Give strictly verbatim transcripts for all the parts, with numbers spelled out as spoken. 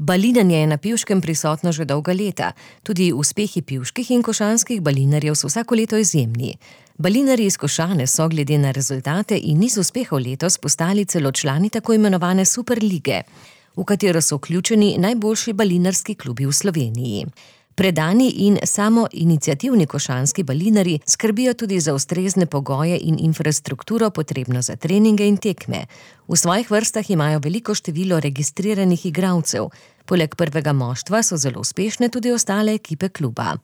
Balinanje je na Pivškem prisotno že dolga leta. Tudi uspehi pivških in košanskih balinarjev so vsako leto izjemni. Balinarji iz Košane so glede na rezultate in niz uspehov letos postali celo člani tako imenovane Superlige, v katero so vključeni najboljši balinarski klubi v Sloveniji. Predani in samoiniciativni košanski balinarji skrbijo tudi za ustrezne pogoje in infrastrukturo potrebno za treninge in tekme. V svojih vrstah imajo veliko število registriranih igralcev. Poleg prvega moštva so zelo uspešne tudi ostale ekipe kluba.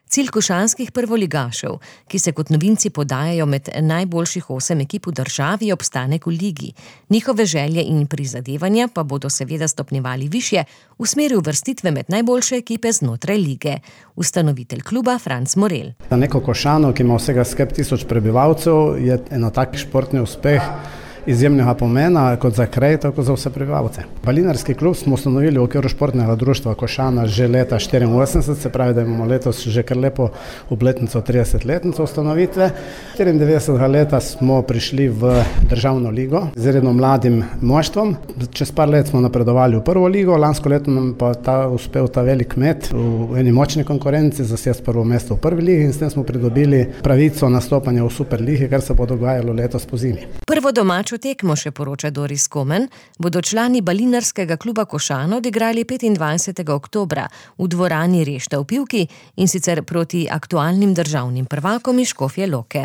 Cilj košanskih prvoligašev, ki se kot novinci podajajo med najboljših osem ekip v državi, je obstanek v ligi. Njihove želje in prizadevanja pa bodo seveda stopnjevali višje v smeri uvrstitve med najboljše ekipe znotraj lige. Ustanovitelj kluba Franc Morel. Za neko Košano, ki ima vsega skrb tisoč prebivalcev, je eno tak športni uspeh izjemnega pomena, kot za kraj, tako za vse prebivalce. Balinarski klub smo ustanovili v okviru športnega društva Košana že leta štiriinosemdeset, se pravi, da imamo letos že kar lepo obletnico, tridesetletnico ustanovitve. štiriindevetdesetega leta smo prišli v državno ligo z redno mladim moštvom. Čez par let smo napredovali v prvo ligo, lansko leto nam pa ta uspel ta velik met v eni močni konkurenci zasesti prvo mesto v prvi ligi in s tem smo pridobili pravico nastopanja v Superligi, kar se bo dogajalo letos pozimi. Prvo domačo tekmo, še poroča Doris Komen, bodo člani balinarskega kluba Košana odigrali petindvajsetega oktobra v dvorani Rešta v Pivki, in sicer proti aktualnim državnim prvakom iz Škofje Loke.